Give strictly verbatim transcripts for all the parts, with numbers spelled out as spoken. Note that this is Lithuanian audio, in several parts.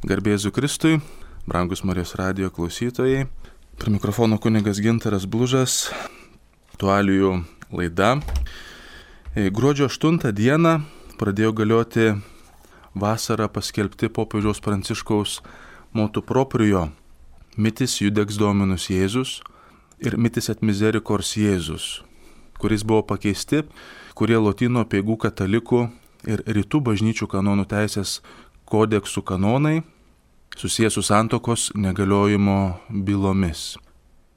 Garbė Jėzui Kristui, brangus Marijos radijo klausytojai. Prie mikrofono kunigas Gintaras Blužas, aktualijų laida. Gruodžio aštuntą dieną pradėjo galioti vasarą paskelbti popiežiaus Pranciškaus motu proprio mitis judex Dominus Jėzus ir mitis et misericors Jėzus, kuris buvo pakeisti, kurie lotynų apeigų katalikų ir rytų bažnyčių kanonų teisės kodeksų kanonai susijęs su santuokos negaliojimo bylomis.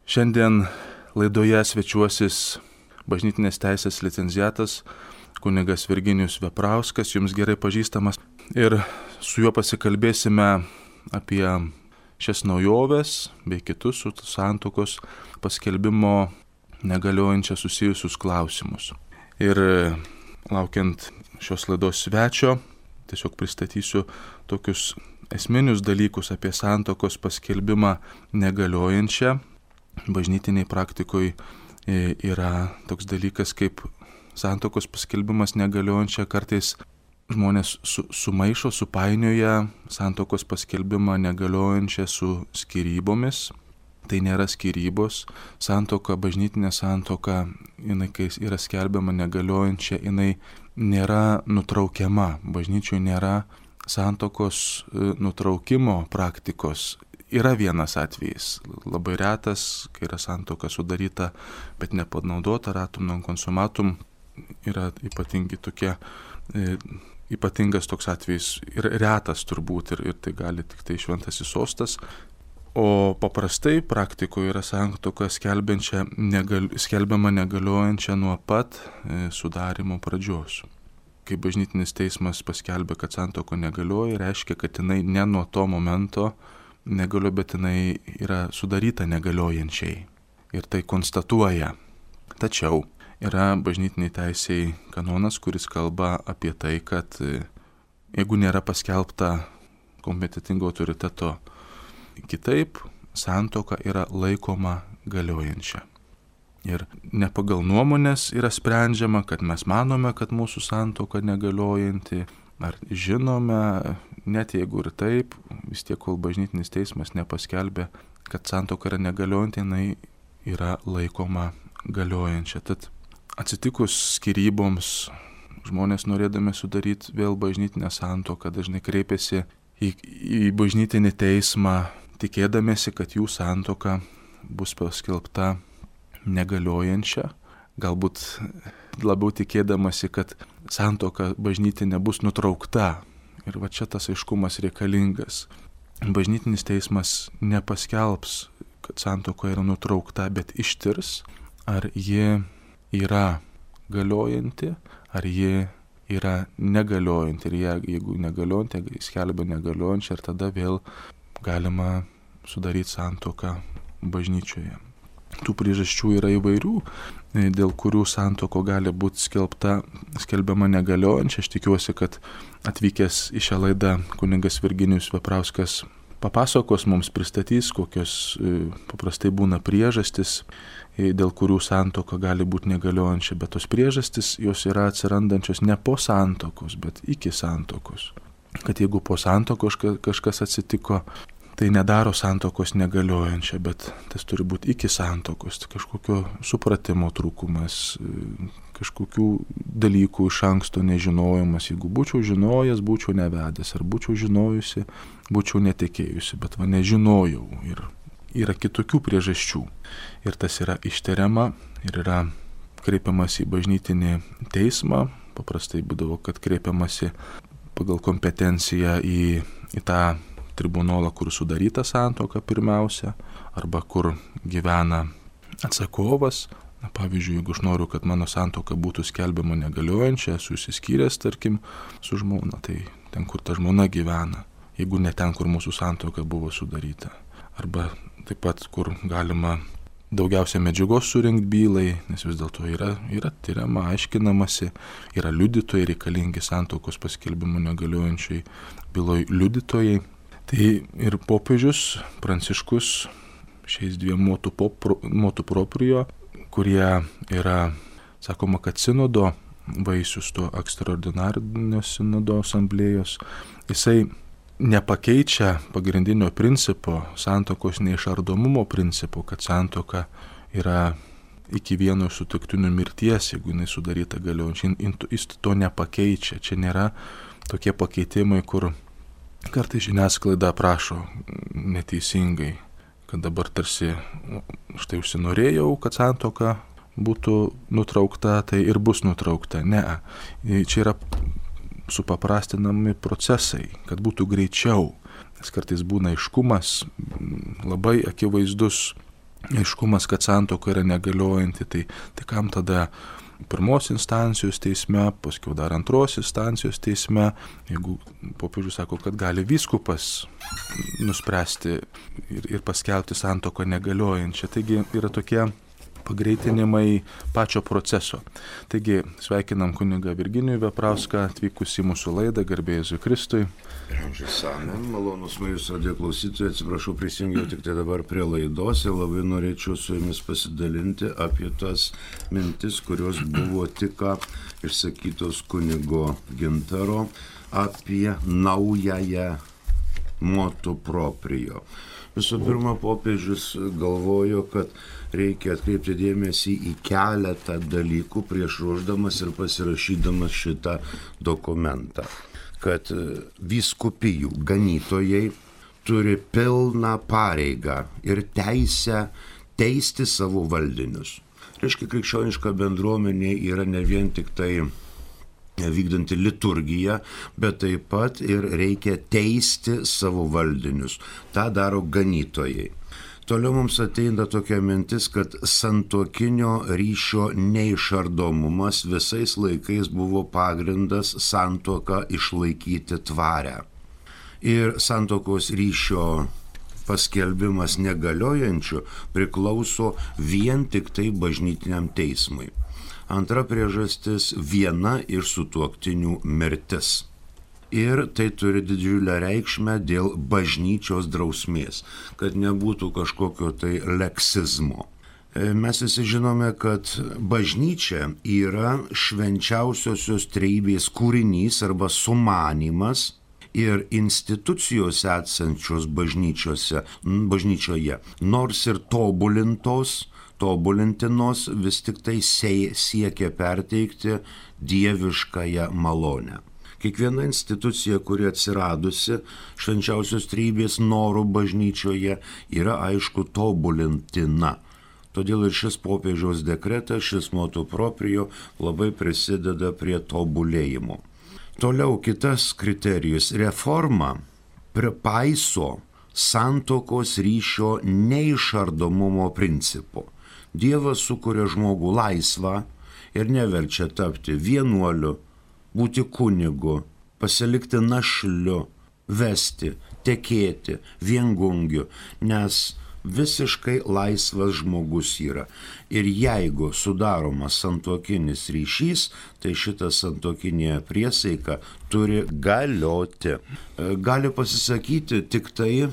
Šiandien laidoje svečiuosis bažnytinės teisės licenciatas kunigas Virginijus Veprauskas, jums gerai pažįstamas, ir su juo pasikalbėsime apie šias naujoves bei kitus su santuokos paskelbimo negaliojančia susijusius klausimus. Ir laukiant šios laidos svečio, tiesiog pristatysiu tokius esminius dalykus apie santuokos paskelbimą negaliojančią. Bažnytiniai praktikoje yra toks dalykas kaip santuokos paskelbimas negaliojančia. Kartais žmonės su, sumaišo, supainioja santuokos paskelbimą negaliojančią su skyrybomis. Tai nėra skyrybos. Santuoka, bažnytinė santuoka, jinai, kai yra skelbiama negaliojančia, jinai nėra nutraukiama. Bažnyčioje nėra santuokos nutraukimo praktikos. Yra vienas atvejis, labai retas, kai yra santuoka sudaryta, bet nepanaudota, ratum non consumatum, yra ypatingi tokie, e, ypatingas toks atvejis ir retas turbūt, ir, ir tai gali tik tai šventasis sostas. O paprastai praktikoje yra santuoka negal, skelbiama negaliojančia nuo pat e, sudarimo pradžios. Kai bažnytinis teismas paskelbė, kad santuoka negalioja, reiškia, kad jinai ne nuo to momento negalioja, bet jinai yra sudaryta negaliojančiai. Ir tai konstatuoja. Tačiau yra bažnytiniai teisėjai kanonas, kuris kalba apie tai, kad e, jeigu nėra paskelbta kompetentingo autoriteto kitaip, santuoka yra laikoma galiojančia. Ir ne pagal nuomonės yra sprendžiama, kad mes manome, kad mūsų santuoka negaliojanti, ar žinome, net jeigu ir taip, vis tiek, kol bažnytinis teismas nepaskelbė, kad santuoka yra negaliojanti, jinai yra laikoma galiojančia. Tad atsitikus skyryboms, žmonės norėdami sudaryti vėl bažnytinę santuoką dažnai kreipiasi į, į bažnytinį teismą, tikėdamėsi, kad jų santuoka bus paskelbta negaliojančia, galbūt labiau tikėdamasi, kad santuoka bažnytinė bus nutraukta. Ir va čia tas aiškumas reikalingas. Bažnytinis teismas nepaskelbs, kad santuoka yra nutraukta, bet ištirs, ar ji yra galiojanti, ar ji yra negaliojanti. Ir jie, jeigu negaliojanti, skelbia negaliojančią, ir tada vėl galima sudaryti santuoką bažnyčioje. Tų priežasčių yra įvairių, dėl kurių santuoka gali būti skelbta, skelbiama negaliojančia. Aš tikiuosi, kad atvykęs į šią laidą kunigas Virginijus Veprauskas papasakos mums, pristatys, kokios paprastai būna priežastis, dėl kurių santuoka gali būti negaliojančia. Bet tos priežastis, jos yra atsirandančios ne po santuokos, bet iki santuokos. Kad jeigu po santuokos kažkas atsitiko, tai nedaro santuokos negaliojančią, bet tas turi būti iki santuokos, kažkokio supratimo trūkumas, kažkokių dalykų iš anksto nežinojimas. Jeigu būčiau žinojęs, būčiau nevedęs, ar būčiau žinojusi, būčiau netekėjusi, bet va nežinojau. Ir yra kitokių priežasčių. Ir tas yra ištariama ir yra kreipiamas į bažnytinį teismą. Paprastai būdavo, kad kreipiamasi pagal kompetenciją į, į tą tribunolą, kur sudaryta santuoka pirmiausia, arba kur gyvena atsakovas. Na, pavyzdžiui, jeigu aš noriu, kad mano santuoka būtų skelbiama negaliojančia, esu išsiskyręs, tarkim, su žmona, tai ten, kur ta žmona gyvena, jeigu ne ten, kur mūsų santuoka buvo sudaryta. Arba taip pat, kur galima daugiausia medžiagos surinkti bylai, nes vis dėlto yra, yra tyriama, aiškinamasi, yra liudytojai, reikalingi santuokos paskelbimo negaliojančiai byloj liudytojai. Tai ir popiežius Pranciškus šiais dviem motu, popro, motu proprio, kurie yra, sakoma, kad sinodo vaisius, to ekstraordinarinio sinodo asamblėjos, jisai nepakeičia pagrindinio principo, santuokos neišardomumo principo, kad santuoka yra iki vieno sutuoktinių mirties, jeigu jinai sudaryta galiojančiai, jis to nepakeičia. Čia nėra tokie pakeitimai, kur kartais žiniasklaida prašo neteisingai, kad dabar tarsi štai užsinorėjau, kad santuoka būtų nutraukta, tai ir bus nutraukta. Ne, čia yra supaprastinami procesai, kad būtų greičiau, nes kartais būna aiškumas, labai akivaizdus aiškumas, kad santuoka yra negaliojanti, tai, tai kam tada pirmos instancijos teisme, paskui dar antros instancijos teisme, jeigu popiežius sako, kad gali vyskupas nuspręsti ir, ir paskelbti santuoką negaliojančią. Taigi yra tokie pagreitinimai pačio proceso. Taigi sveikinam kunigą Virginijų Veprauską atvykus į mūsų laidą, garbė Jėzui Kristui. Amžius amen, malonus Marijos radijo klausytojai, atsiprašau, prisijungiau tik tai dabar prie laidos ir labai norėčiau su jumis pasidalinti apie tas mintis, kurios buvo tik ką išsakytos kunigo Gintaro apie naująją motu proprio. Visų pirma, popiežius galvojo, kad reikia atkreipti dėmesį į keletą dalykų prieš ruošdamas ir pasirašydamas šitą dokumentą. Kad vyskupijų ganytojai turi pilną pareigą ir teisę teisti savo valdinius. Reiškia, krikščioniška bendruomenė yra ne vien tik tai vykdanti liturgiją, bet taip pat ir reikia teisti savo valdinius. Ta daro ganytojai. Toliau mums ateina tokia mintis, kad santuokinio ryšio neišardomumas visais laikais buvo pagrindas santuoką išlaikyti tvarę. Ir santuokos ryšio paskelbimas negaliojančiu priklauso vien tik tai bažnytiniam teismui. Antra priežastis – viena iš sutuoktinių mirtis. Ir tai turi didžiulę reikšmę dėl bažnyčios drausmės, kad nebūtų kažkokio tai leksizmo. Mes visi žinome, kad bažnyčia yra švenčiausiosios trejybės kūrinys arba sumanymas ir institucijos esančios bažnyčioje, nors ir tobulintos, tobulintinos, vis tik tai siekia perteikti dieviškąją malonę. Kiekviena institucija, kuri atsiradusi švenčiausios trejybės norų bažnyčioje, yra aišku tobulintina. Todėl ir šis popiežiaus dekretas, šis motu proprio labai prisideda prie tobulėjimo. Toliau kitas kriterijus – reforma pripaiso santuokos ryšio neišardomumo principo. Dievas sukuria žmogų laisvą ir neverčia tapti vienuoliu, būti kunigu, pasilikti našliu, vesti, tekėti, viengungiu, nes visiškai laisvas žmogus yra. Ir jeigu sudaromas santuokinis ryšys, tai šita santuokinė priesaika turi galioti. Gali pasisakyti tik tai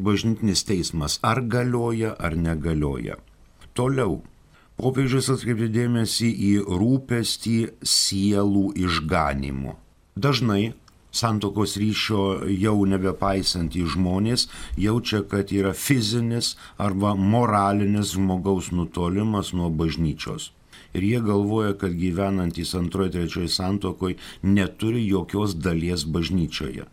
bažnytinis teismas, ar galioja, ar negalioja. Toliau. Popiežius atkreipė dėmesį į rūpestį sielų išganymu. Dažnai santuokos ryšio jau nebepaisantys žmonės jaučia, kad yra fizinis arba moralinis žmogaus nutolimas nuo bažnyčios. Ir jie galvoja, kad gyvenantys antroje, trečioje santuokoje neturi jokios dalies bažnyčioje,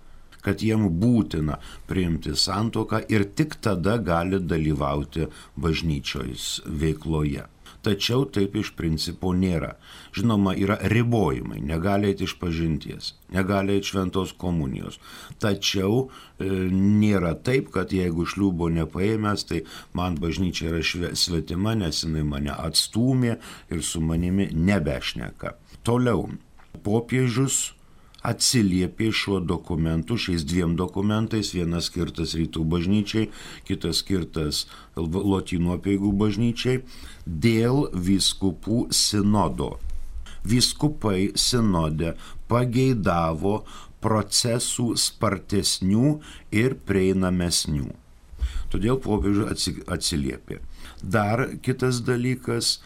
kad jiem būtina priimti santuoką ir tik tada gali dalyvauti bažnyčios veikloje. Tačiau taip iš principo nėra. Žinoma, yra ribojimai, negali eiti iš pažinties, negali eiti šventos komunijos. Tačiau e, nėra taip, kad jeigu šliūbo nepaėmęs, tai man bažnyčia yra šve, svetima, nes jinai mane atstūmė ir su manimi nebešneka. Toliau, popiežius atsiliepė šiuo dokumentu, šiais dviem dokumentais, vienas skirtas rytų bažnyčiai, kitas skirtas lotynų apeigų bažnyčiai, dėl vyskupų sinodo. Vyskupai sinode pageidavo procesų spartesnių ir prieinamesnių. Todėl popiežius atsiliepė. Dar kitas dalykas,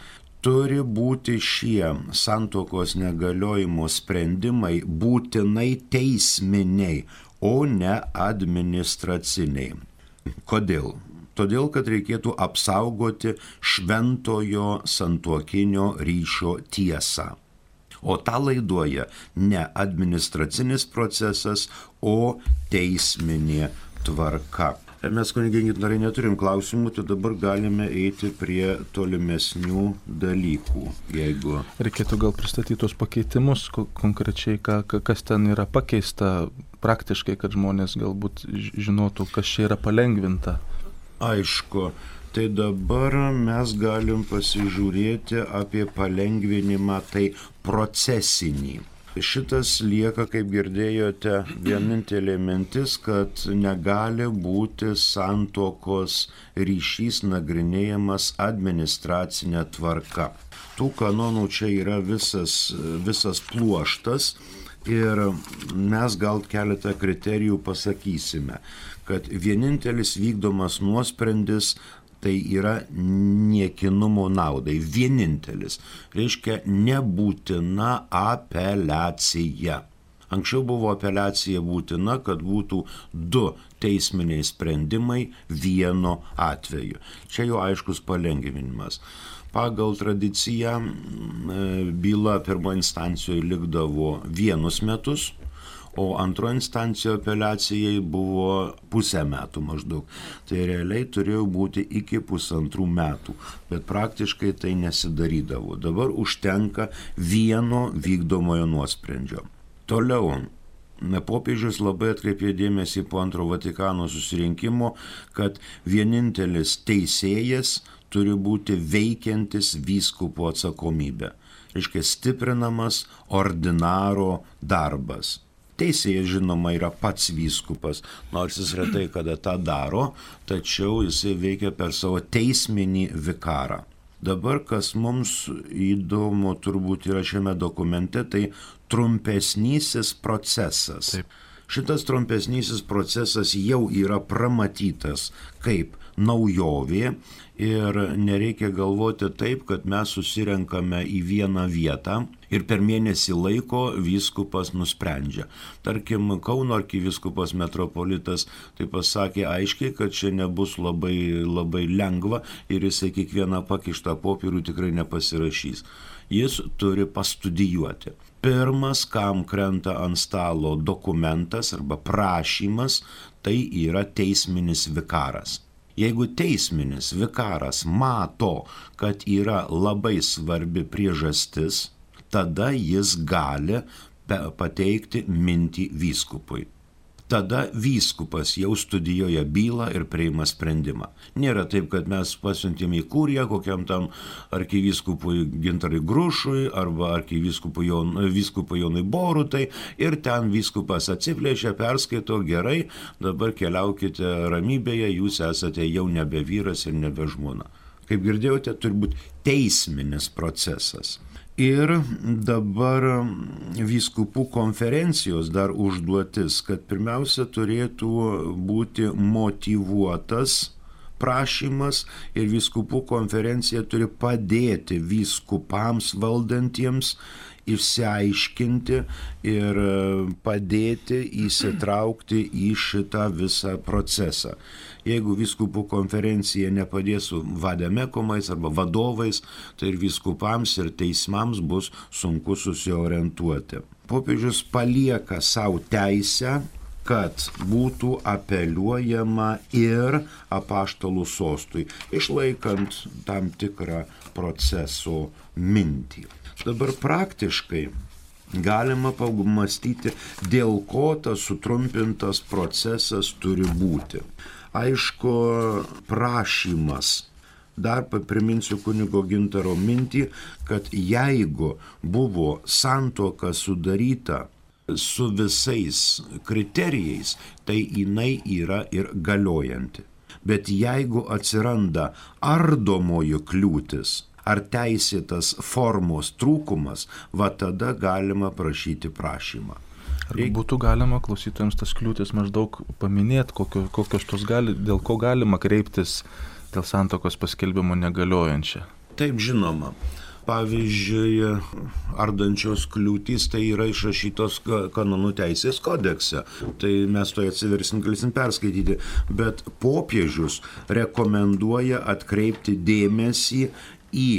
turi būti šie santuokos negaliojimo sprendimai būtinai teisminiai, o ne administraciniai. Kodėl? Todėl, kad reikėtų apsaugoti šventojo santuokinio ryšio tiesą. O tą laiduoja ne administracinis procesas, o teisminė tvarka. Mes, kunigai gintarai, neturim klausimų, tai dabar galime eiti prie tolimesnių dalykų. Jeigu... Reikėtų gal pristatyti tos pakeitimus, konkrečiai, ką, kas ten yra pakeista praktiškai, kad žmonės galbūt žinotų, kas čia yra palengvinta. Aišku, tai dabar mes galim pasižiūrėti apie palengvinimą, tai procesinį. Šitas lieka, kaip girdėjote, vienintelė mintis, kad negali būti santuokos ryšys nagrinėjamas administracinė tvarka. Tų kanonų čia yra visas, visas pluoštas ir mes gal keletą kriterijų pasakysime, kad vienintelis vykdomas nuosprendis tai yra niekinumo naudai. Vienintelis. Reiškia nebūtina apeliacija. Anksčiau buvo apeliacija būtina, kad būtų du teisminiai sprendimai vienu atveju. Čia jau aiškus palengvinimas. Pagal tradiciją byla pirmo instancijoje likdavo vienus metus, o antro instancijoje apeliacijai buvo pusę metų maždaug. Tai realiai turėjo būti iki pusantrų metų, bet praktiškai tai nesidarydavo. Dabar užtenka vieno vykdomojo nuosprendžio. Toliau, popiežius labai atkreipė dėmesį po antro Vatikano susirinkimo, kad vienintelis teisėjas turi būti veikiantis vyskupo atsakomybė. Reiškia stiprinamas ordinaro darbas. Teisėjas, žinoma, yra pats vyskupas, nors jis retai kada tą daro, tačiau jisai veikia per savo teisminį vikarą. Dabar, kas mums įdomu turbūt yra šiame dokumente, tai trumpesnysis procesas. Taip. Šitas trumpesnysis procesas jau yra pramatytas kaip naujovė ir nereikia galvoti taip, kad mes susirenkame į vieną vietą ir per mėnesį laiko vyskupas nusprendžia. Tarkim, Kauno arkivyskupas metropolitas tai pasakė aiškiai, kad čia nebus labai, labai lengva ir jisai kiekvieną pakištą popierių tikrai nepasirašys. Jis turi pastudijuoti. Pirmas, kam krenta ant stalo dokumentas arba prašymas, tai yra teisminis vikaras. Jeigu teisminis vikaras mato, kad yra labai svarbi priežastis, tada jis gali pateikti mintį vyskupui. Tada vyskupas jau studijuoja bylą ir priima sprendimą. Nėra taip, kad mes pasiuntėm į kuriją kokiam tam arkivyskupui Gintarui Grušui arba arkivyskupui Jon, Jonui Borutai ir ten vyskupas atsiplėšia, perskaito, gerai, dabar keliaukite ramybėje, jūs esate jau nebe vyras ir nebe žmona. Kaip girdėjote, turi būti teisminis procesas. Ir dabar vyskupų konferencijos dar užduotis, kad pirmiausia turėtų būti motyvuotas prašymas ir vyskupų konferencija turi padėti vyskupams valdantiems išsiaiškinti ir padėti įsitraukti į šitą visą procesą. Jeigu vyskupų konferencija nepadės su vademekomais arba vadovais, tai ir vyskupams ir teismams bus sunku susiorientuoti. Popiežius palieka savo teisę, kad būtų apeliuojama ir apaštalų sostui, išlaikant tam tikrą proceso mintį. Dabar praktiškai galima pamastyti, dėl ko tas sutrumpintas procesas turi būti. Aišku, prašymas. Dar priminsiu kunigo Gintaro mintį, kad jeigu buvo santuoka sudaryta su visais kriterijais, tai jinai yra ir galiojanti. Bet jeigu atsiranda ardomoji kliūtis ar teisėtas formos trūkumas, va tada galima prašyti prašymą. Ar būtų galima klausytojams tas kliūtis maždaug paminėti, kokio, kokios tos gali, dėl ko galima kreiptis dėl santuokos paskelbimo negaliojančią? Taip, žinoma. Pavyzdžiui, ardančios kliūtys tai yra išrašytos kanonų teisės kodekse. Tai mes to atsiversim, galėsim perskaityti. Bet popiežius rekomenduoja atkreipti dėmesį į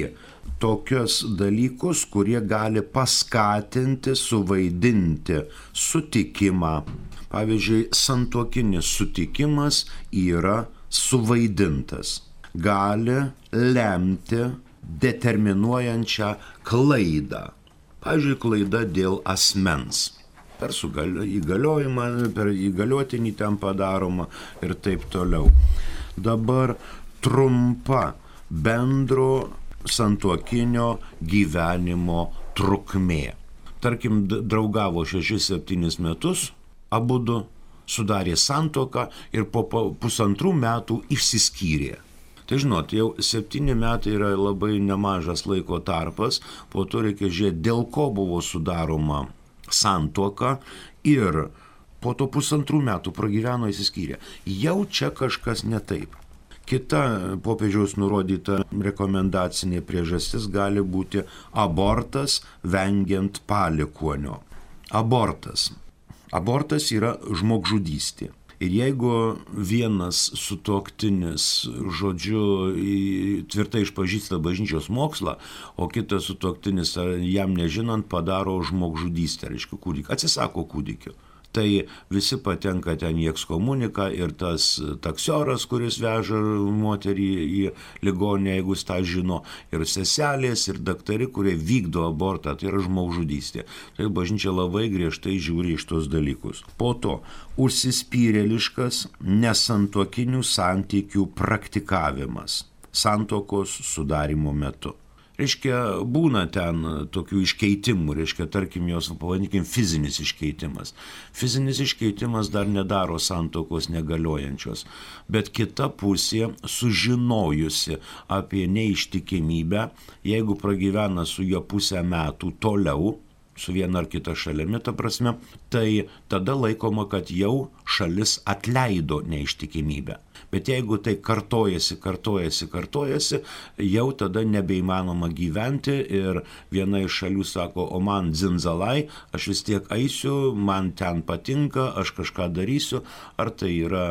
tokius dalykus, kurie gali paskatinti, suvaidinti sutikimą. Pavyzdžiui, santuokinis sutikimas yra suvaidintas. Gali lemti determinuojančią klaidą. Pavyzdžiui, klaida dėl asmens. Per įgaliojimą, per įgaliotinį ten padaroma ir taip toliau. Dabar trumpa bendro santuokinio gyvenimo trukmė. Tarkim, draugavo šešis septynis metus, abudu sudarė santuoką ir po pusantrų metų išsiskyrė. Tai žinot, jau septyni metai yra labai nemažas laiko tarpas, po to reikia žiūrėti, dėl ko buvo sudaroma santuoka ir po to pusantrų metų pragyveno išsiskyrė. Jau čia kažkas ne taip. Kita popiežiaus nurodyta rekomendacinė priežastis gali būti abortas vengiant palikuonio. Abortas. Abortas yra žmogžudystė. Ir jeigu vienas sutuoktinis, žodžiu, tvirtai išpažįsta bažnyčios mokslą, o kitas sutuoktinis jam nežinant padaro žmogžudystę, reiškia kūdikį, atsisako kūdikio. Tai visi patenka ten į ekskomuniką ir tas taksioras, kuris veža moterį į ligoninę, jeigu jis tą žino, ir seselės, ir daktari, kurie vykdo abortą, tai yra žmogžudystė. Tai bažnyčia labai griežtai žiūri iš tos dalykus. Po to užsispyrėliškas nesantuokinių santykių praktikavimas santuokos sudarimo metu. Reiškia, būna ten tokių iškeitimų, reiškia, tarkim, jos, pavadinkim, fizinis iškeitimas. Fizinis iškeitimas dar nedaro santuokos negaliojančios, bet kita pusė, sužinojusi apie neištikimybę, jeigu pragyvena su jo pusę metų toliau, su viena ar kita šalimi, ta prasme, tai tada laikoma, kad jau šalis atleido neištikimybę. Bet jeigu tai kartojasi, kartojasi, kartojasi, jau tada nebeįmanoma gyventi ir viena iš šalių sako, o man dzinzalai, aš vis tiek eisiu, man ten patinka, aš kažką darysiu, ar tai yra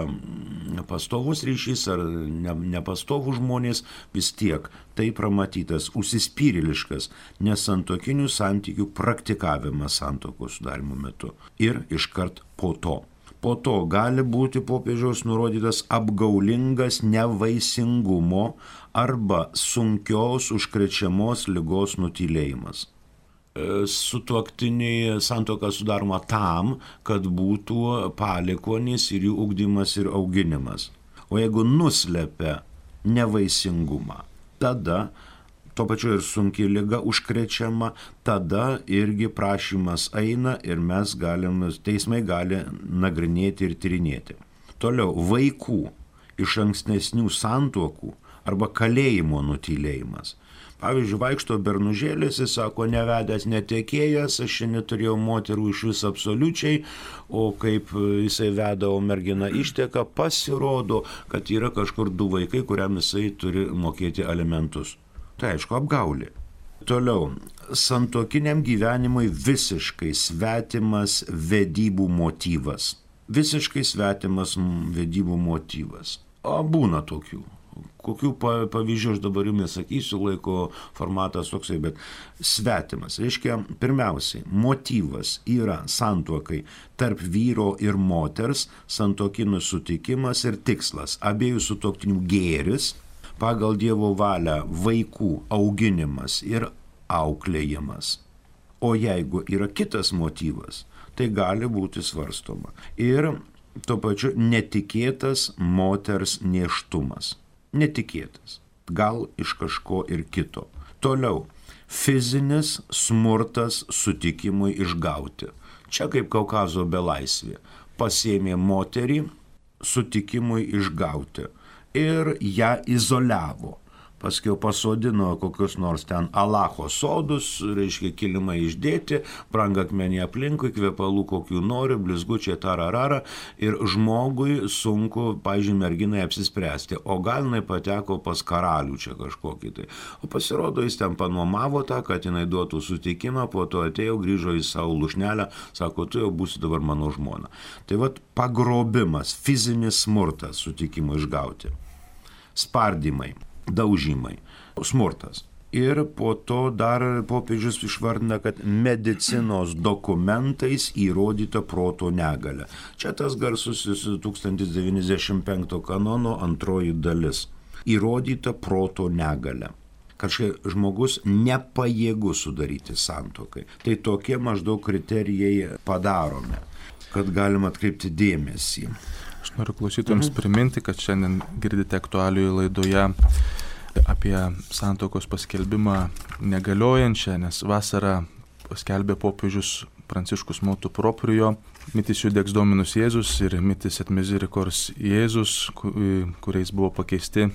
pastovus ryšys, ar ne, nepastovus žmonės, vis tiek tai pramatytas užsispyrėliškas nesantuokinių santykių praktikavimas santuokos sudarimo metu ir iškart po to. Po to gali būti popiežiaus nurodytas apgaulingas nevaisingumo arba sunkios užkrečiamos ligos nutylėjimas. Sutuoktiniai santuoka sudaroma tam, kad būtų palikuonys ir jų ugdymas ir auginimas. O jeigu nuslepia nevaisingumą, tada tuo pačiu ir sunki liga užkrečiama, tada irgi prašymas eina ir mes galim, teismai gali nagrinėti ir tyrinėti. Toliau, vaikų iš ankstesnių santuokų arba kalėjimo nutylėjimas. Pavyzdžiui, vaikšto bernužėlis, jis sako, nevedęs netekėjęs, aš čia neturėjau moterų iš vis absoliučiai, o kaip jisai veda, o mergina išteka, pasirodo, kad yra kažkur du vaikai, kuriam jisai turi mokėti alimentus. Tai aišku, apgaulė. Toliau, santuokiniam gyvenimui visiškai svetimas vedybų motyvas. Visiškai svetimas vedybų motyvas. O būna tokių. Kokių pavyzdžių aš dabar jums sakysiu, laiko formatas toksai, bet svetimas. Reiškia, pirmiausiai, motyvas yra santuokai tarp vyro ir moters, santuokinis sutikimas ir tikslas. Abiejų sutuoktinių gėris, pagal Dievo valią vaikų auginimas ir auklėjimas. O jeigu yra kitas motyvas, tai gali būti svarstoma. Ir tuo pačiu netikėtas moters nėštumas. Netikėtas. Gal iš kažko ir kito. Toliau. Fizinis smurtas sutikimui išgauti. Čia kaip Kaukazo belaisvė. Pasėmė moterį sutikimui išgauti. Ir ją izoliavo. paskiau pasodino kokius nors ten Alacho sodus, reiškia kilimai išdėti, brangakmenį aplinkui, kvepalų kokių nori, blizgučiai tararara ir žmogui sunku, pavyzdžiui, merginai apsispręsti, o gal jinai pateko pas karalių čia kažkokį tai. O pasirodo, jis ten panuomavo tą, kad jinai duotų sutikimą, po to atėjo, grįžo į savo lušnelę, sako, tu jau būsi dabar mano žmona. Tai vat pagrobimas, fizinis smurtas sutikimo išgauti, spardymai, daužymai, smurtas. Ir po to dar popiežius išvardina, kad medicinos dokumentais įrodyta proto negalia. Čia tas garsusis tūkstantis devyniasdešimt penkto kanono antroji dalis. Įrodyta proto negalia. Kažkaip žmogus nepajėgus sudaryti santuokai. Tai tokie maždaug kriterijai padarome, kad galima atkreipti dėmesį. Aš noriu klausytojams mhm. priminti, kad šiandien girdite aktualijų laidoje apie santuokos paskelbimą negaliojančią, nes vasarą paskelbė popiežius Pranciškus Motu Proprio, mitis Judex Dominus Jėzus ir mitis et Misericors Jėzus, kuriais buvo pakeisti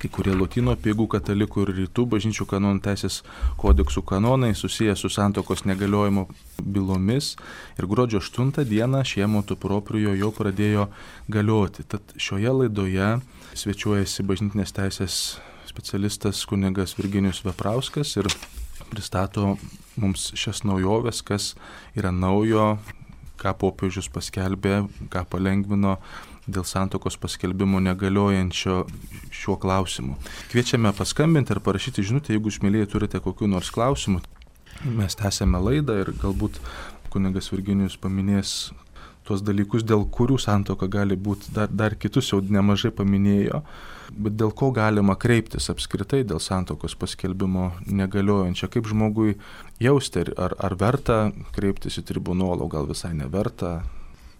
kai kurie lotynų apeigų katalikų ir rytų bažnyčių kanonų teisės kodeksų kanonai susiję su santuokos negaliojimo bylomis ir gruodžio aštuntą dieną šie Motu Proprio jau pradėjo galioti. Tad šioje laidoje svečiuojasi bažnytinės teisės specialistas kunigas Virginijus Veprauskas ir pristato mums šias naujoves, kas yra naujo, ką popiežius paskelbė, ką palengvino dėl santuokos paskelbimo negaliojančio šiuo klausimu. Kviečiame paskambinti ir parašyti žinutę, jeigu išmėlėjai turite kokių nors klausimų. Mes tęsėme laidą ir galbūt kunigas Virginijus paminės tuos dalykus, dėl kurių santuoka gali būti, dar, dar kitus jau nemažai paminėjo, bet dėl ko galima kreiptis apskritai dėl santuokos paskelbimo negaliojančio, kaip žmogui jausti, ar, ar verta kreiptis į tribunolą, gal visai neverta.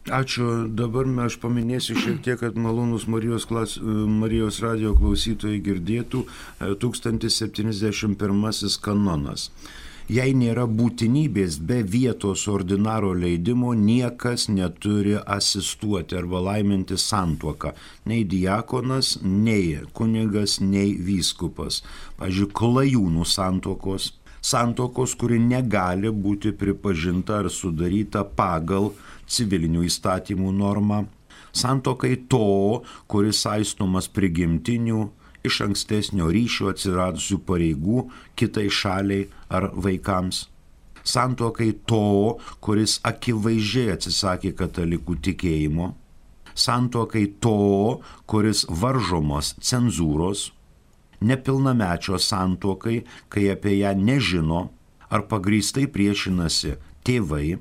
Ačiū. Dabar aš paminėsiu šiek tiek, kad malonus Marijos, klas, Marijos radio klausytojai girdėtų tūkstantis septyniasdešimt pirmasis kanonas. Jei nėra būtinybės be vietos ordinaro leidimo, niekas neturi asistuoti arba laiminti santuoką. Nei diakonas, nei kunigas, nei vyskupas. Pavyzdžiui, klajūnų santuokos. Santuokos, kuri negali būti pripažinta ar sudaryta pagal civilinių įstatymų normą. Santuokai to, kuris saistomas prigimtinių, iš ankstesnio ryšio atsiradusių pareigų kitai šaliai ar vaikams. Santuokai to, kuris akivaizdžiai atsisakė katalikų tikėjimo. Santuokai to, kuris varžomos cenzūros. Nepilnamečio santuokai, kai apie ją nežino ar pagrįstai priešinasi tėvai,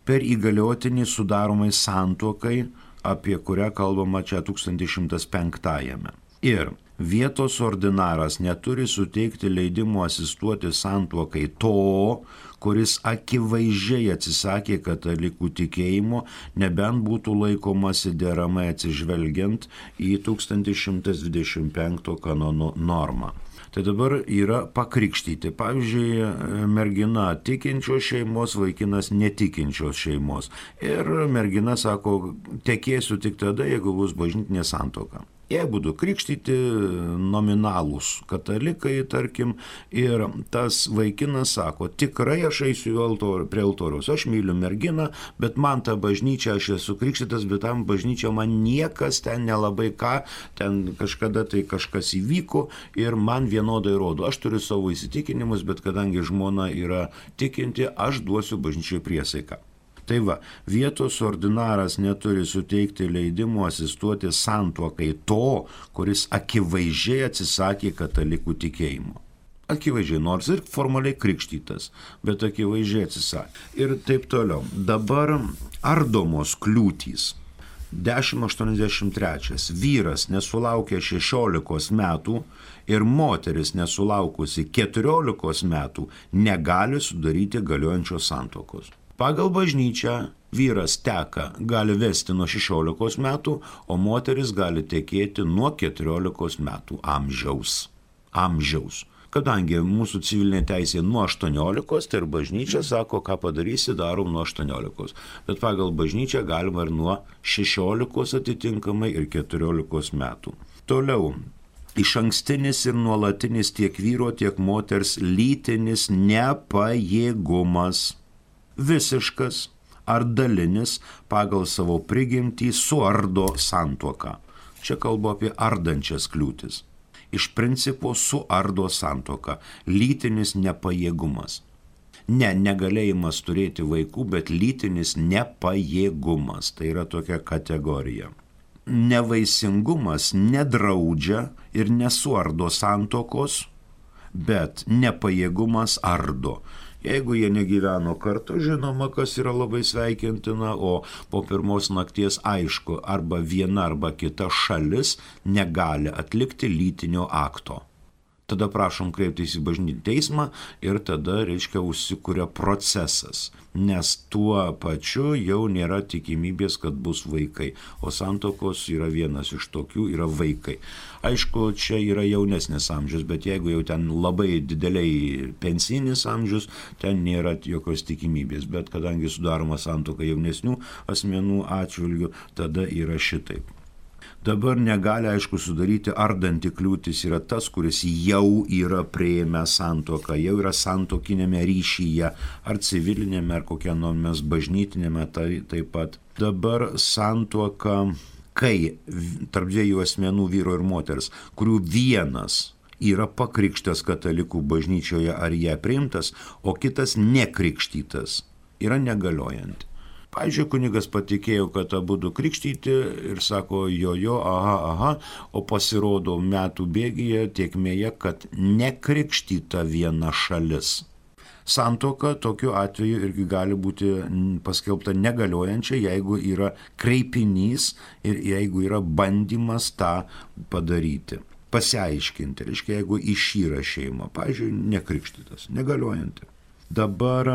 per įgaliotinį sudaromai santuokai, apie kurią kalbama čia tūkstantis šimtas penktajame. Ir vietos ordinaras neturi suteikti leidimo asistuoti santuokai to, kuris akivaizdžiai atsisakė katalikų tikėjimo, nebent būtų laikomasi deramai atsižvelgiant į tūkstantis šimtas dvidešimt penkto kanono normą. Tai dabar yra pakrikštyti. Pavyzdžiui, mergina tikinčios šeimos, vaikinas netikinčios šeimos. Ir mergina sako, tekėsiu tik tada, jeigu bus bažnytinė santuoka. Jie būtų krikštyti nominalūs katalikai, tarkim, ir tas vaikinas sako, tikrai aš eisiu altor, prie altoriaus, aš myliu merginą, bet man ta bažnyčia, aš esu krikštytas, bet tam bažnyčia man niekas ten nelabai ką, ten kažkada tai kažkas įvyko ir man vienodai rodo. Aš turiu savo įsitikinimus, bet kadangi žmona yra tikinti, aš duosiu bažnyčiai priesaiką. Tai va, vietos ordinaras neturi suteikti leidimo asistuoti santuokai to, kuris akivaizdžiai atsisakė katalikų tikėjimo. Akivaizdžiai, nors ir formaliai krikštytas, bet akivaizdžiai atsisakė. Ir taip toliau. Dabar ardomos kliūtys. dešimt aštuoniasdešimt trečias. Vyras nesulaukė šešiolikos metų ir moteris nesulaukusi keturiolikos metų negali sudaryti galiojančios santuokos. Pagal bažnyčią vyras teka gali vesti nuo šešiolikos metų, o moteris gali tekėti nuo keturiolikos metų amžiaus. Amžiaus. Kadangi mūsų civilinė teisė nuo aštuoniolikos, tai ir bažnyčia sako, ką padarysi, darom nuo aštuoniolikos. Bet pagal bažnyčią galima ir nuo šešiolikos atitinkamai ir keturiolikos metų. Toliau. Išankstinis ir nuolatinis tiek vyro, tiek moters lytinis nepajėgumas, visiškas ar dalinis pagal savo prigimtį suardo santuoką. Čia kalbu apie ardančias kliūtis. Iš principo suardo santuoką, lytinis nepajėgumas. Ne, negalėjimas turėti vaikų, bet lytinis nepajėgumas. Tai yra tokia kategorija. Nevaisingumas nedraudžia ir nesuardo santuokos, bet nepajėgumas ardo. Jeigu jie negyveno kartu, žinoma, kas yra labai sveikintina, o po pirmos nakties aišku, arba viena arba kita šalis negali atlikti lytinio akto. Tada prašom kreiptis į bažnytinį teismą ir tada, reiškia, užsikuria procesas, nes tuo pačiu jau nėra tikimybės, kad bus vaikai, o santuokos yra vienas iš tokių, yra vaikai. Aišku, čia yra jaunesnis amžius, bet jeigu jau ten labai dideliai pensinis amžius, ten nėra jokios tikimybės, bet kadangi sudaroma santuoka jaunesnių asmenų atžvilgių, tada yra šitaip. Dabar negali, aišku, sudaryti ardanti kliūtis yra tas, kuris jau yra priėmęs santuoką, jau yra santuokinėme ryšyje, ar civilinėme, ar kokiame nors bažnytinėme tai, taip pat. Dabar santuoka, kai tarp dviejų asmenų, vyro ir moters, kurių vienas yra pakrikštas katalikų bažnyčioje ar ją priimtas, o kitas nekrikštytas, yra negaliojanti. Pavyzdžiui, kunigas patikėjo, kad abu du krikštyti ir sako jo, jo, aha, aha, o pasirodo metų bėgyje tiekmėje, kad nekrikštyta viena šalis. Santuoka tokiu atveju irgi gali būti paskelbta negaliojančia, jeigu yra kreipinys ir jeigu yra bandymas tą padaryti. Pasiaiškinti, reiškia, jeigu išyra šeima, pavyzdžiui, nekrikštytas, negaliojanti. Dabar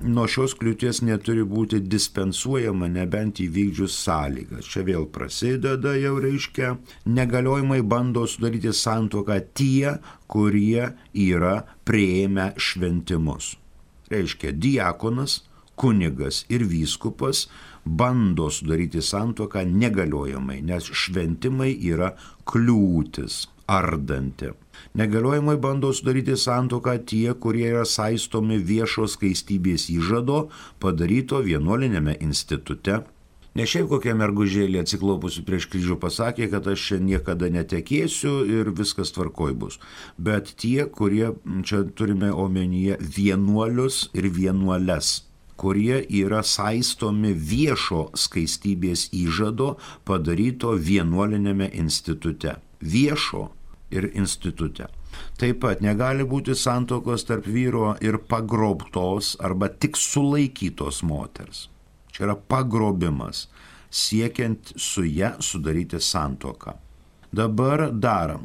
nuo šios kliūties neturi būti dispensuojama, nebent įvykdžius sąlygas. Čia vėl prasideda jau, reiškia, negaliojimai bando sudaryti santuoką tie, kurie yra priėmę šventimus. Reiškia, diakonas, kunigas ir vyskupas bando sudaryti santuoką negaliojamai, nes šventimai yra kliūtis, ardanti. Negaliojimai bando sudaryti santuoką tie, kurie yra saistomi viešo skaistybės įžado padaryto vienuolinėme institute. Ne šiaip kokia mergužėlė atsiklaupusi prieš kryžių pasakė, kad aš čia niekada netekėsiu ir viskas tvarkoj bus. Bet tie, kurie, čia turime omenyje vienuolius ir vienuoles, kurie yra saistomi viešo skaistybės įžado padaryto vienuolinėme institute. Viešo ir institute. Taip pat negali būti santuokos tarp vyro ir pagrobtos arba tik sulaikytos moters. Čia yra pagrobimas, siekiant su ja sudaryti santuoką. Dabar dar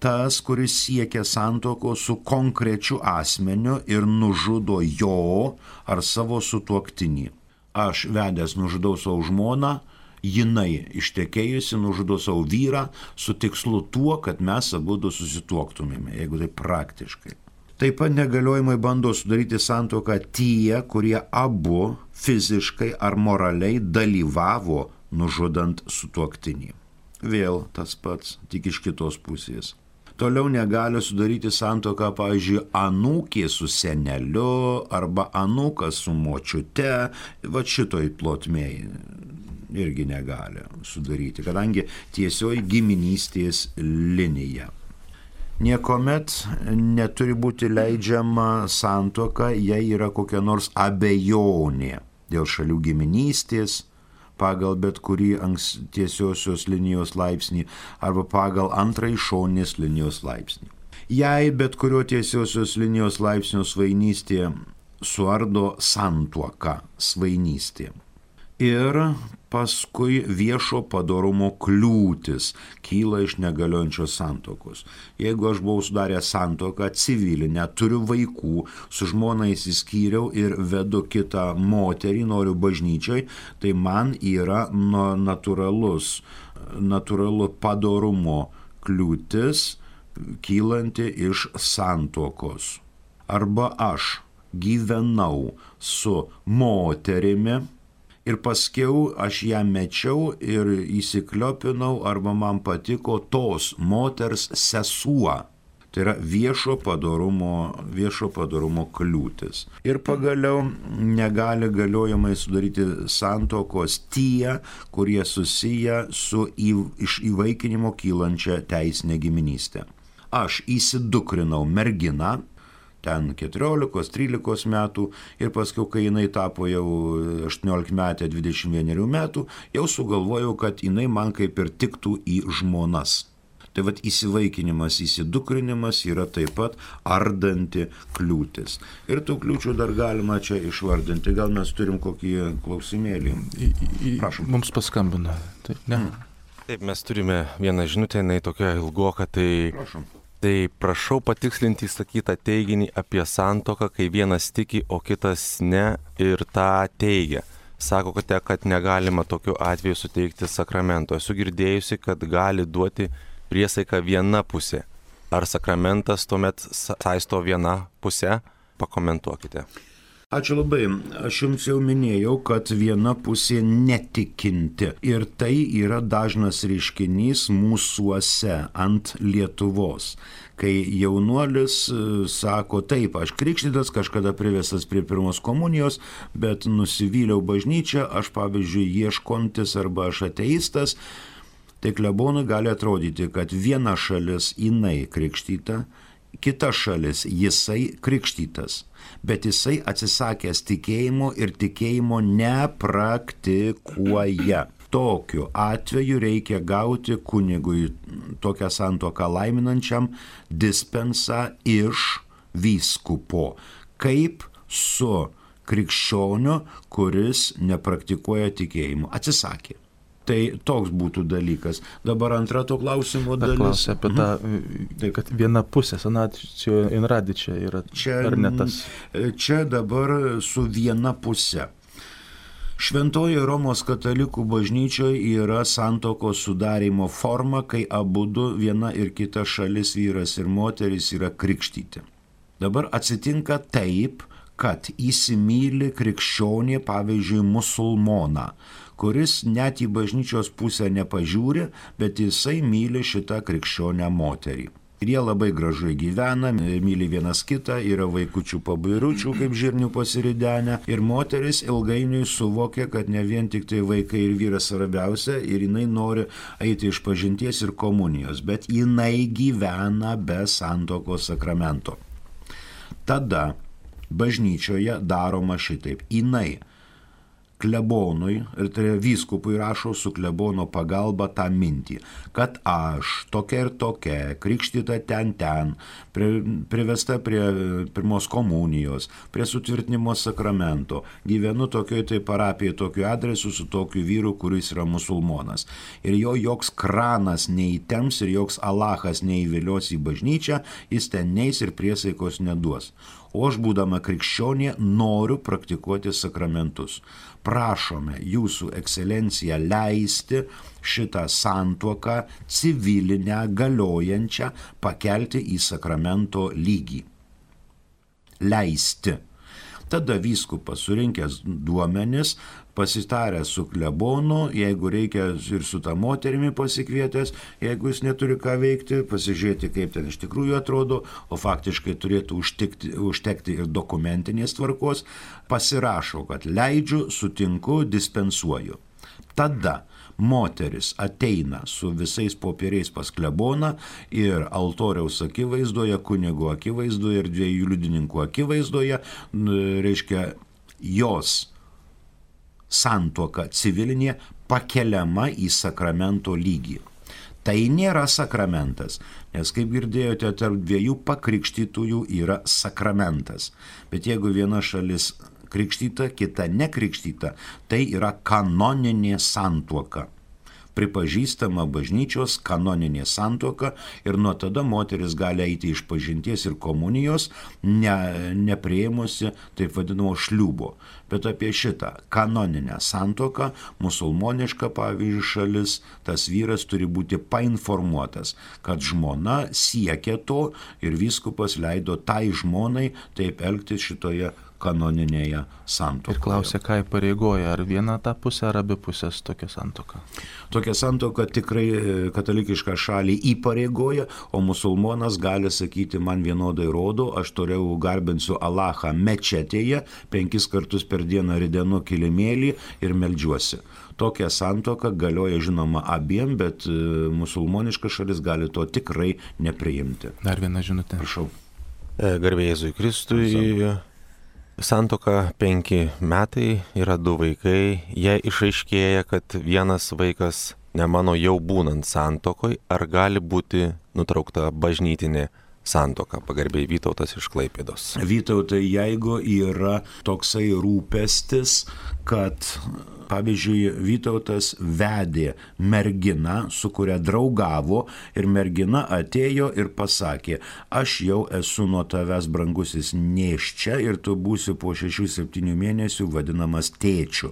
tas, kuris siekia santuokos su konkrečiu asmeniu ir nužudo jo ar savo sutuoktinį. Aš vedęs nužudau savo žmoną, jinai ištekėjusi nužudo savo vyrą su tikslu tuo, kad mes abudu susituoktumėme, jeigu tai praktiškai. Taip pat negaliojimai bando sudaryti santuoką tie, kurie abu fiziškai ar moraliai dalyvavo nužudant sutuoktinį. Vėl tas pats, tik iš kitos pusės. Toliau negali sudaryti santuoką, pavyzdžiui, anūkė su seneliu arba anūkas su močiute, va šitoj plotmėj irgi negali sudaryti, kadangi tiesioji giminystės linija. Niekuomet neturi būti leidžiama santuoka, jei yra kokia nors abejonė dėl šalių giminystės, pagal bet kurį tiesiosios linijos laipsnį arba pagal antrąjį šoninės linijos laipsnį. Jei bet kurio tiesiosios linijos laipsnio svainystė suardo santuoką, svainystė. Ir paskui viešo padorumo kliūtis kyla iš negaliojančios santuokos. Jeigu aš buvau sudaręs santuoką civilinę, turiu vaikų, su žmona išsiskyriau ir vedu kitą moterį, noriu bažnyčiai, tai man yra natūralus, natūralu padorumo kliūtis kylanti iš santuokos. Arba aš gyvenau su moterimi Ir paskiau aš ją mečiau ir įsikliopinau, arba man patiko tos moters sesuo. Tai yra viešo padorumo, viešo padorumo kliūtis. Ir pagaliau negali galiojamai sudaryti santuokos tie, kurie susiję su į, iš įvaikinimo kylančia teisinė giminystė. Aš įsidukrinau merginą, ten keturiolikos trylikos metų, ir paskui, kai jinai tapo jau aštuoniolikmetė dvidešimt vienerių metų, jau sugalvojau, kad jinai man kaip ir tiktų į žmonas. Tai vat įsivaikinimas, įsidukrinimas yra taip pat ardanti kliūtis. Ir tų kliūčių dar galima čia išvardinti. Gal mes turim kokį klausimėlį? Prašom. Mums paskambino. Taip, ne? Hmm. Taip, mes turime vieną žinutę, jinai tokia ilgoka, tai... Prašom. Tai prašau patikslinti įsakytą teiginį apie santuoką, kai vienas tiki, o kitas ne, ir tą teigia. Sakote, kad negalima tokiu atveju suteikti sakramento. Esu girdėjusi, kad gali duoti priesaiką viena pusė. Ar sakramentas tuomet saisto viena pusė? Pakomentuokite. Ačiū labai. Aš jums jau minėjau, kad viena pusė netikinti. Ir tai yra dažnas reiškinys mūsuose ant Lietuvos. Kai jaunuolis sako, taip, aš krikštytas, kažkada privestas prie pirmos komunijos, bet nusivyliau bažnyčią, aš pavyzdžiui ieškontis arba aš ateistas, tai klebonui gali atrodyti, kad viena šalis jinai krikštyta, kita šalis jisai krikštytas, bet jisai atsisakęs tikėjimo ir tikėjimo nepraktikuoja. Tokiu atveju reikia gauti kunigui tokią santuoką laiminančiam dispensą iš vyskupo, kaip su krikščioniu, kuris nepraktikuoja tikėjimo. Atsisakė. Tai toks būtų dalykas. Dabar antra to klausimo dalis. Klausia apie tą, mhm. kad viena pusė, sanacijo in radičia yra, čia, ar ne tas? Čia dabar su viena pusė. Šventoji Romos katalikų bažnyčioje yra santuokos sudarymo forma, kai abudu viena ir kita šalis, vyras ir moteris, yra krikštyti. Dabar atsitinka taip, kad įsimyli krikščionį, pavyzdžiui, musulmoną, kuris net į bažnyčios pusę nepažiūri, bet jisai myli šitą krikščionę moterį. Ir jie labai gražiai gyvena, myli vienas kitą, yra vaikučių pabairučių, kaip žirnių pasiridenę. Ir moteris ilgainiui suvokia, kad ne vien tik tai vaikai ir vyras svarbiausia, ir jinai nori eiti iš pažinties ir komunijos, bet jinai gyvena be santuokos sakramento. Tada bažnyčioje daroma šitaip. Jinai klebonui ir tai vyskupui rašo su klebono pagalba tą mintį, kad aš tokia ir tokia, krikštyta ten ten, pri, privesta prie pirmos komunijos, prie sutvirtinimo sakramento, gyvenu tokioj tai parapijai, tokiu adresu su tokiu vyru, kuris yra musulmonas. Ir jo joks kranas neįtems ir joks Alachas neįvilios į bažnyčią, jis ten neis ir priesaikos neduos. O aš, būdama krikščionė, noriu praktikuoti sakramentus. Prašome jūsų ekscelenciją leisti šitą santuoką civilinę, galiojančią, pakelti į sakramento lygį. Leisti. Tada vyskupas surinkęs duomenis, pasitaręs su klebonu, jeigu reikia ir su ta moterimi pasikvietęs, jeigu jis neturi ką veikti, pasižiūrėti, kaip ten iš tikrųjų atrodo, o faktiškai turėtų užtikti, užtekti ir dokumentinės tvarkos, pasirašo, kad leidžiu, sutinku, dispensuoju. Tada moteris ateina su visais popieriais pas kleboną ir altoriaus akivaizdoje, kunigo akivaizdoje ir dviejų liudininkų akivaizdoje, reiškia, jos santuoka civilinė pakeliama į sakramento lygį. Tai nėra sakramentas, nes, kaip girdėjote, tarp dviejų pakrikštytųjų yra sakramentas. Bet jeigu viena šalis krikštyta, kita nekrikštyta, tai yra kanoninė santuoka. Pripažįstama bažnyčios kanoninė santuoka ir nuo tada moteris gali eiti iš pažinties ir komunijos, ne, nepriėmusi taip vadinamo šliubo. Bet apie šitą kanoninę santuoką, musulmoniška, pavyzdžiui, šalis, tas vyras turi būti painformuotas, kad žmona siekia to ir vyskupas leido tai žmonai taip elgtis šitoje kanoninėje santuokoje. Ir klausia, ką įpareigoja, ar vieną tą pusę, ar abi pusės tokia santuoka? Tokia santuoka tikrai katalikišką šalį įpareigoja, o musulmonas gali sakyti, man vienodai rodo, aš toliau garbinsiu Alachą mečetėje, penkis kartus per dieną ridenu kilimėlį ir meldžiuosi. Tokia santuoka galioja žinoma abiem, bet musulmoniška šalis gali to tikrai nepriimti. Dar viena žinutė. Prašau. Garbė Jėzui Kristui. Santuoka penki metai, yra du vaikai. Jei išaiškėja, kad vienas vaikas ne mano jau būnant santokoj, ar gali būti nutraukta bažnytinė santuoka? Pagarbiai Vytautas iš Klaipėdos. Vytautai, jeigu yra toksai rūpestis, kad, pavyzdžiui, Vytautas vedė merginą, su kuria draugavo, ir mergina atėjo ir pasakė, aš jau esu nuo tavęs, brangusis, nėščia ir tu būsi po šešių septynių mėnesių vadinamas tėčiu.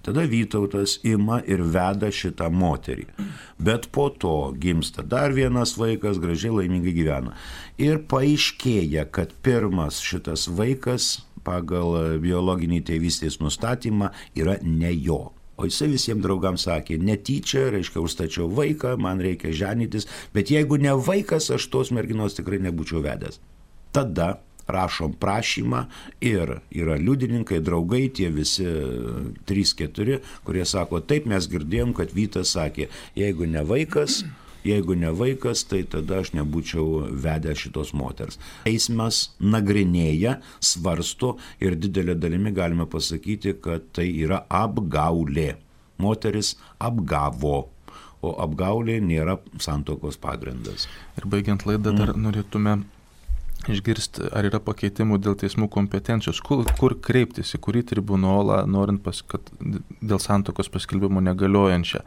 Tada Vytautas ima ir veda šitą moterį. Bet po to gimsta dar vienas vaikas, gražiai laimingai gyvena. Ir paaiškėja, kad pirmas šitas vaikas pagal biologinį tėvystės nustatymą yra ne jo. O jisai visiems draugams sakė, netyčia, reiškia, užstačiau vaiką, man reikia ženytis, bet jeigu ne vaikas, aš tos merginos tikrai nebūčiau vedęs. Tada rašom prašymą ir yra liudininkai, draugai, tie visi trys keturi, kurie sako, taip mes girdėjom, kad Vytas sakė, jeigu ne vaikas, jeigu ne vaikas, tai tada aš nebūčiau vedęs šitos moters. Teismas nagrinėja, svarsto ir didelė dalimi galime pasakyti, kad tai yra apgaulė. Moteris apgavo, o apgaulė nėra santuokos pagrindas. Ir baigiant laidą dar mm. norėtume išgirsti, ar yra pakeitimų dėl teismų kompetencijos, kur, kur kreiptis, į kurį tribunolą, norint, pas, kad dėl santuokos paskelbimo negaliojančią.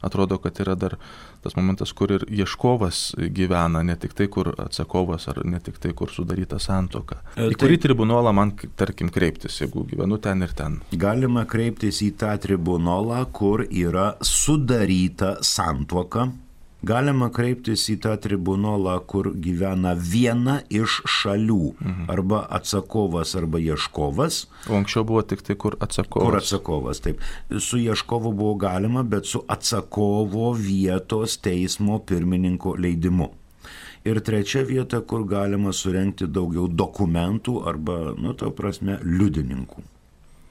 Atrodo, kad yra dar tas momentas, kur ir ieškovas gyvena, ne tik tai, kur atsakovas, ar ne tik tai, kur sudaryta santuoka. Į kurį tribunolą man, tarkim, kreiptis, jeigu gyvenu ten ir ten? Galima kreiptis į tą tribunolą, kur yra sudaryta santuoka. Galima kreiptis į tą tribunolą, kur gyvena viena iš šalių, mhm. arba atsakovas, arba ieškovas. O anksčiau buvo tik tai, kur atsakovas. Kur atsakovas, taip. Su ieškovu buvo galima, bet su atsakovo vietos teismo pirmininko leidimu. Ir trečia vieta, kur galima surengti daugiau dokumentų arba, nu, to prasme, liudininkų.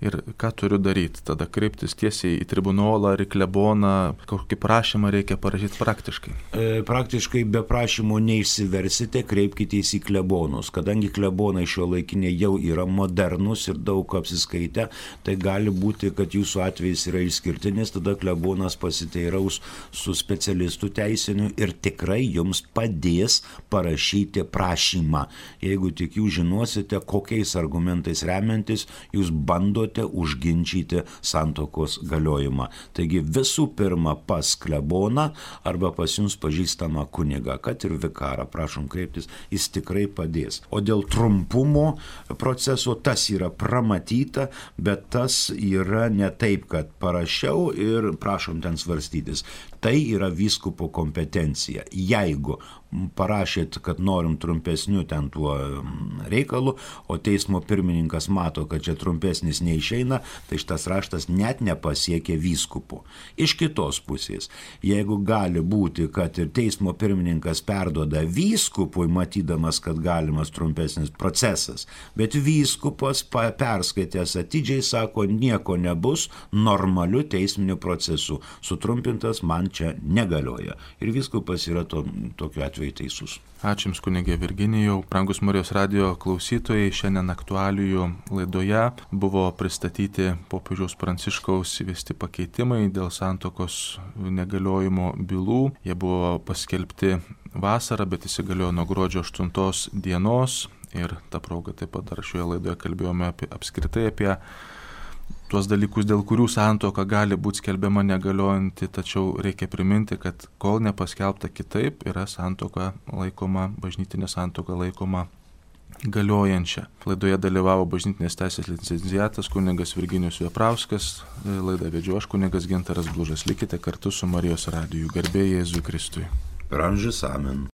Ir ką turiu daryti? Tada kreiptis tiesiai į tribunolą ar į kleboną, kokį prašymą reikia parašyti praktiškai? E, praktiškai be prašymo neišsiversite, kreipkitės į klebonus. Kadangi klebonai šio laikiniai jau yra modernus ir daug apsiskaitę, tai gali būti, kad jūsų atvejis yra išskirtinis, tada klebonas pasiteiraus su specialistu teisiniu ir tikrai jums padės parašyti prašymą. Jeigu tik jūs žinosite, kokiais argumentais remiantis jūs bandote užginčyti santuokos galiojimą. Taigi visų pirma pas kleboną arba pas jums pažįstamą kunigą, kad ir vikarą, prašom kreiptis, jis tikrai padės. O dėl trumpumo proceso tas yra pramatyta, bet tas yra ne taip, kad parašiau ir prašom ten svarstytis. Tai yra vyskupo kompetencija. Jeigu parašėt, kad norim trumpesnių ten tuo reikalu, o teismo pirmininkas mato, kad čia trumpesnis neišeina, tai šitas raštas net nepasiekė vyskupo. Iš kitos pusės, jeigu gali būti, kad ir teismo pirmininkas perduoda vyskupui, matydamas, kad galimas trumpesnis procesas, bet vyskupas perskaitęs atidžiai sako, nieko nebus, normaliu teisminiu procesu. Sutrumpintas man čia negalioja. Ir vyskupas yra to, tokiu atveju teisus. Ačiū Jums, kunigė Virginijau. Brangus Marijos radijo klausytojai, šiandien aktualijų laidoje buvo pristatyti popiežiaus Pranciškaus įvesti pakeitimai dėl santuokos negaliojimo bylų. Jie buvo paskelbti vasarą, bet įsigaliojo nuo gruodžio aštuntos dienos. Ir tą progą taip pat dar šioje laidoje kalbėjome apie, apskritai apie tuos dalykus, dėl kurių santuoka gali būti skelbiama negaliojanti, tačiau reikia priminti, kad kol nepaskelbta kitaip, yra santuoka laikoma, bažnytinė santuoka laikoma galiojančia. Laidoje dalyvavo bažnytinės teisės licenciatas kunigas Virginijus Veprauskas, laidą vedžiau aš kunigas Gintaras Blužas. Likite kartu su Marijos radiju. Garbė Jėzui Kristui. Per amžius amen.